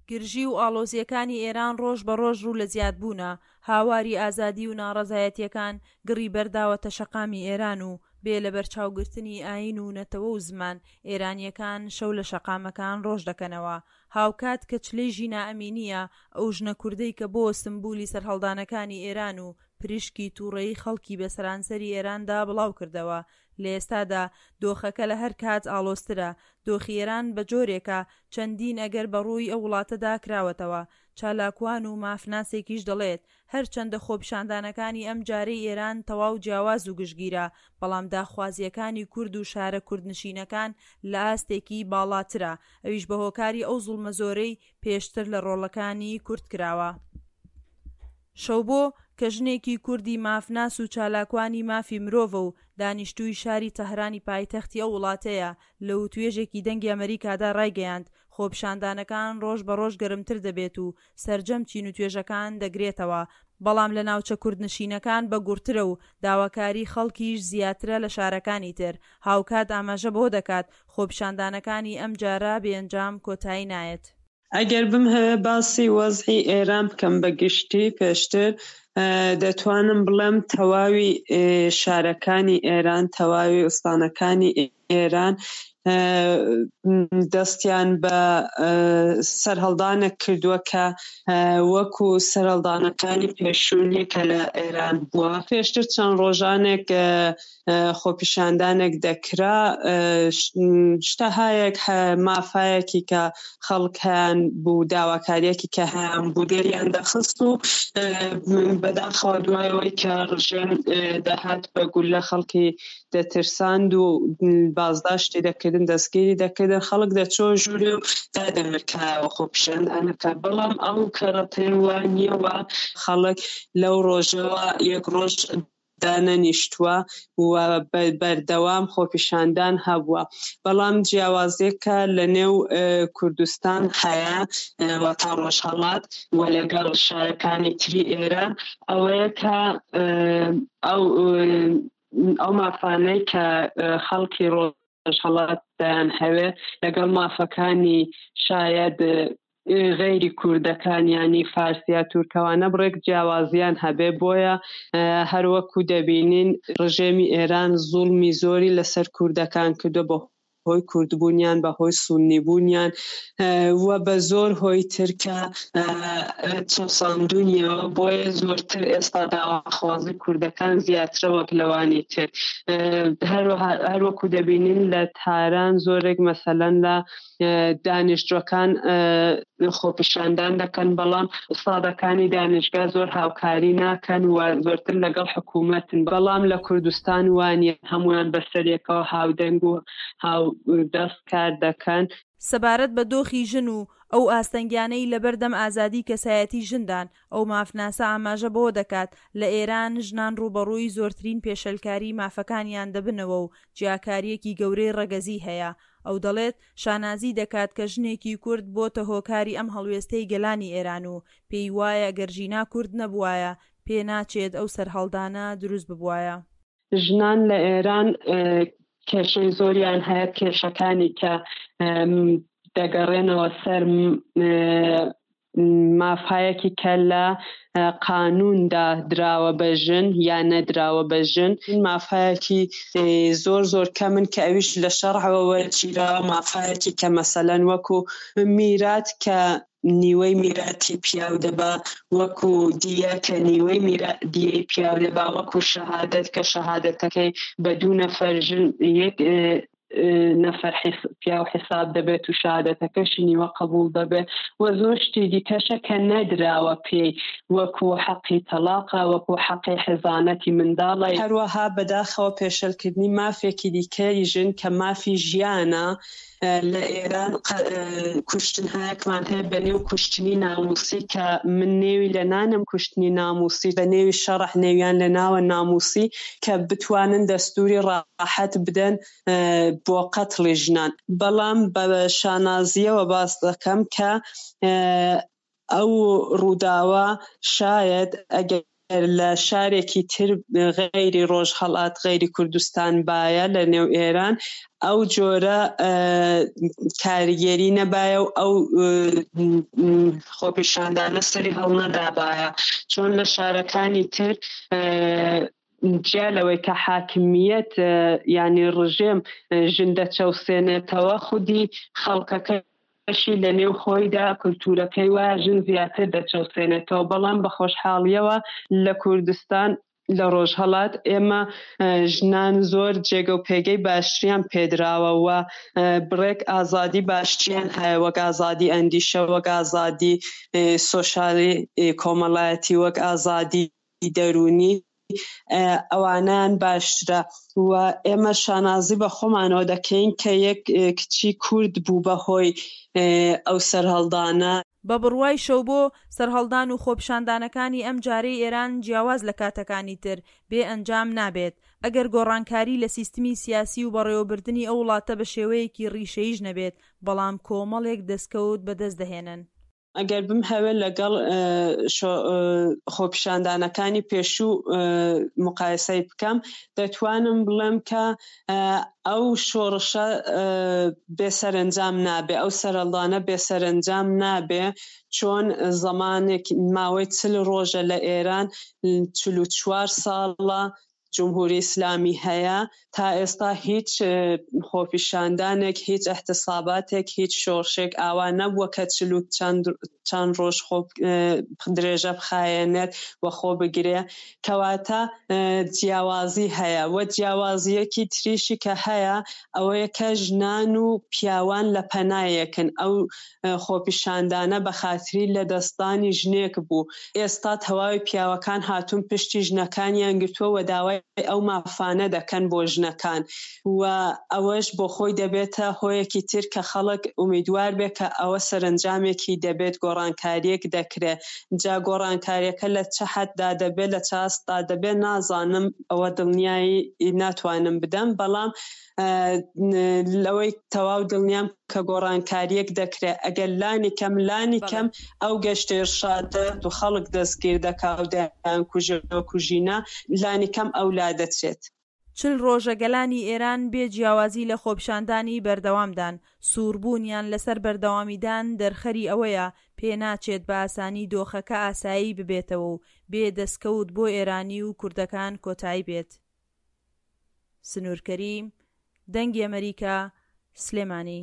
گرژی و ئاڵۆزییەکانی ئێران ڕۆژ بە ڕۆژ ڕوو لە زیادبوونە، هاواری ئازادی و ناڕەزایەتییەکان گڕی بەرداوەتە شەقامی ئێران و بێ لەبەرچاوگرتنی ئایین و نەتەوە و زمان، ئێرانییەکان شەو لە شەقامەکان ڕۆژ دەکەنەوە. هاوکات کە چلەی ژینا ئەمینییە، ئەو ژنە کوردەی کە بۆوە سمبولی سەرهەڵدانەکانی ئێران و پریشکی تووڕەیی خەڵکی بە سەرانسەری ئێراندا بڵاو کردەوە. لە ئێستادا دۆخەکە لە هەر کات ئاڵۆزترە. دۆخی ئێران بە جۆرێکە چەندین ئەگەر بە ڕووی ئەو وڵاتەدا کراوەتەوە. چالاکوان و مافناسێکیش دەڵێت، هەرچەندە خۆپیشاندانەکانی ئەم جارەی ئێران تەواو جیاواز و گشتگیرە، بەڵام داخوازییەکانی کورد و شارە کوردنشینەکان لە ئاستێکی باڵاترە، ئەویش بە هۆکاری ئەو زوڵمە زۆرەی پێشتر لە ڕۆڵەکانی کورد کراوە. شەوبۆ، کە ژنێکی کوردی مافناس و چالاکوانی مافی مرۆڤە و دانیشتووی شاری تەهرانی پایتەختی ئەو وڵاتەیە، لە وتوێژێکی دەنگی ئەمەریکادا ڕایگەیاند، خۆپیشاندانەکان ڕۆژ بە ڕۆژ گەرمتر دەبێت و سەرجەم چین و توێژەکان دەگرێتەوە، بەڵام لە ناوچە کوردنشینەکان بە گوڕترە و داواکاری خەڵکیش زیاترە لە شارەکانی تر، هاوکات ئاماژە بەوە دەکات، خۆپیشاندانەکانی ئەمجارە بێ ئەنجام کۆتایی نایەت. ئەگەر بمهەوێ باسی وەزعی ئێران بکەم بە گشتی پێشتر دەتوانم بڵێم تەواوی شارەکانی ئێران تەواوی ئوستانەکانی ئێران دەستیان بە سەرهەڵدانێک کردووە کە وەکو سەرهەڵدانەکانی پێشوو نییە کە لە ئێران بووە. پێشتر چەند ڕۆژانێک خۆپیشاندانێک دەکرا شتەهایەک مافایەکی کە خەڵک هەیان بوو داواکاریەکی کە هەیان بوو دەریان دەخست و بەداخەوە دوایەوەی کە ڕژێم دەهات بە گولە خەڵکی دەترساند و بازداشتی دەکردن دەستگیری دەکردن خەڵک دەچۆ ژوورێ و دادەمرکایەوە خۆپیشاندانەکە بەڵام ئەو کەڕەتەیە وا نییە و خەڵک لەو ڕۆژەوە یەک ڕۆژ دانەنیشتووە و بەردەوام خۆپیشاندان هەبووە بەڵام جیاوازیەکە لە نێو کوردستان هەیە واتا ڕۆژهەڵات و لەگەڵ شارەکانی تری ئێران ئەوەیە کە ئەو ئەو مافانەی کە خەڵکی ڕۆژهەڵات دەیانهەوێ لەگەڵ مافەکانی شایەد غەیری کوردەکان یانی فارس یا تورکەوانە بڕێک جیاوازیان هەبێ بۆیە هەروەکو دەبینین ڕژێمی ئێران زوڵمی زۆری لەسەر کوردەکان کردوە بە هۆی کوردبوونیان بە هۆی سوننی بوونیان و بە زۆر هۆی تر کە چەوساندونیەوە بۆیە زۆرتر ئێستا داواخوازی کوردەکان زیاترە وەک لەوانی تر هەروەها هەروەکو دەبینین لە تاران زۆرێک مەسەلەن لە دانیشتوەکان خۆپیشاندان دەکەن بەڵام ئوستادەکانی دانشگا زۆر هاوکاری ناکەن و زۆرتر لەگەڵ حکوومەتن بەڵام لە کوردستان وانە هەمویان بەسەرێکەوە هاودەنگ و هاودەست کار دەکەن. سەبارەت بە دۆخی ژن و ئەو ئاستەنگیانەی لەبەردەم ئازادی کەسایەتی ژندان، ئەو مافناسە ئاماژە بەوە دەکات، لە ئێران ژنان ڕووبەڕووی زۆرترین پێشێلکاری مافەکانیان دەبنەوە و جیاکارییەکی گەورەی ڕەگەزی هەیە. ئەو دەڵێت، شانازی دەکات کە ژنێکی کورد بۆتە هۆکاری ئەم هەڵوێستەی گەلانی ئێران و پێی وایە گەر ژینا کورد نەبوایە، پێ ناچێت ئەو سەرهەڵدانە دروست ببوایە. ژنان لە ئێران کێشەی زۆریان هەیە، کێشەکانی کە دەگەڕێنەوە سەر مافهایەکی کە لە قانووندا دراوە بە ژن یا نەدراوە بە ژن، مافهایەکی زۆر زۆر کەمن کە ئەویش لە شەڕعەوە وەرگیراوە، مافهایەکی کە مەسەلەن وەکوو میرات کە نیوەی میراتی پیاو دەبا، وەکوو دیە کە نیوەی دیەی پیاو دەبا، وەکوو شەهادەت کە شەهادەتەکەی بە دوو نەفەر ژن یەک نەفەر پیاو حیساب دەبێت و شەهادەتەکەشی نیوە قبوڵ دەبێت و زۆر شتی دیکەشە کە نەدراوە پێی وەکو حەقی تەڵاقە وەکو حەقی حەزانەتی منداڵە. هەروەها بەداخەوە پێشێلکردنی مافێکی دیکەی ژن کە مافی ژیانە لە ئێران کوشتنهایەکمان هەیە بە نێو کوشتنی ناموسی کە من نێوی لە نانم کوشتنی ناموسی بە نێوی شەڕع نێویان لە ناوە ناموسی کە بتوانن دەستوری ڕاحەت بدەن بۆ قەتڵی ژنان بەڵام بە شانازیەوە باس دەکەم کە ئەو ڕووداوە شایەد ئەگەر. لە شارێکی تر غەیری ڕۆژهەڵات غەیری کوردستان بایە لە نێو ئێران ئەو جۆرە کاریگەری نەبایە و ئەو خۆپیشاندانە سەری هەڵنەدابایە چۆن لە شارەکانی تر جیا لەوەی کە حاکمیەت یانی ڕژێم ژن دەچەوسێنێتەوە خودی خەڵکەکە بەشی لە نێو خۆیدا کولتوورەکەی وایە ژن زیاتر دەچەوسێنێتەوە، بەڵام بە خۆشحاڵییەوە لە کوردستان لە ڕۆژهەڵات ئێمە ژنان زۆر جێگە و پێگەی باشتریان پێدراوە و بڕێک ئازادی باشتریان هەیە وەک ئازادی ئەندیشە وەک ئازادی سۆشالی کۆمەڵایەتی وەک ئازادی دەروونی ئەوانەیان باشترە و ئێمە شانازی بە خۆمانەوە دەکەین کە یەک کچی کورد بوو بە هۆی ئەو سەرهەڵدانە. بە بڕوای شەوبۆ، سەرهەڵدان و خۆپیشاندانەکانی ئەم جارەی ئێران جیاواز لە کاتەکانی تر، بێ ئەنجام نابێت. ئەگەر گۆڕانکاری لە سیستمی سیاسی و بەڕێوەبردنی ئەو وڵاتە بە شێوەیەکی ڕیشەییش نەبێت، بەڵام کۆمەڵێک دەستکەوت بەدەست دەهێنن. ئەگەر بمهەوێت لەگەڵ خۆپیشاندانەکانی پێشوو مقایسەی بکەم دەتوانم بڵێم کە ئەو شۆڕشە بێ سەرەنجام نابێ ئەو سەرەڵدانە بێ سەرەنجام نابێ چۆن زەمانێک ماوەی چل ڕۆژە لە ئێران 44 ساڵە جمهوری ئیسلامی هەیە تا ئێستا هیچ خۆپیشاندانێک هیچ احتساباتێک هیچ شۆڕشێک ئاوا نەبووە کە چل و چەند چەند ڕۆژ خۆ درێژە بخایەنێت و خۆ بگرێ کەواتە جیاوازی هەیە و جیاوازیەکی تریشی کە هەیە ئەوەیە کە ژنان و پیاوان لە پەنایەکن ئەو خۆپیشاندانە بە خاتری لەدەستدانی ژنێک بوو، ئێستا تەواوی پیاوەکان هاتوون پشتی ژنەکانیان گرتووە و داوای ئەو مافانە دەکەن بۆ ژنەکان و ئەوەش بۆ خۆی دەبێتە هۆیەکی تر کە خەڵک ئومیدوار بێت کە ئەوە سەرەنجامێکی دەبێت گۆڕانکارییەک دەکرێت جا گۆڕانکارییەکە لە چ حەددا دەبێت لە چ ئاستدا دەبێت نازانم ئەوە دڵنیایی ناتوانم بدەم بەڵام لەوەی تەواو دڵنیام کە گۆڕانکارییەک دەکرێت ئەگەر لانی کەم لانی کەم ئەو گەشتە ئیرشادە و خەڵک دەستگیر دەکا و دەیانکوژێ و کوژینە لانی کەم ئەو لا دەچێت. 40 ڕۆژە گەلانی ئێران بێ جیاوازی لە خۆپیشاندانی بەردەوامدان، سووربوونیان لەسەر بەردەوامیدان دەرخەری ئەوەیە پێناچێت بە ئاسانی دۆخەکە ئاسایی ببێتەوە و بێ دەسکەوت بۆ ئێرانی و کوردەکان کۆتایی بێت. سنوور کەریم، دەنگی ئەمەریکا، سلێمانی.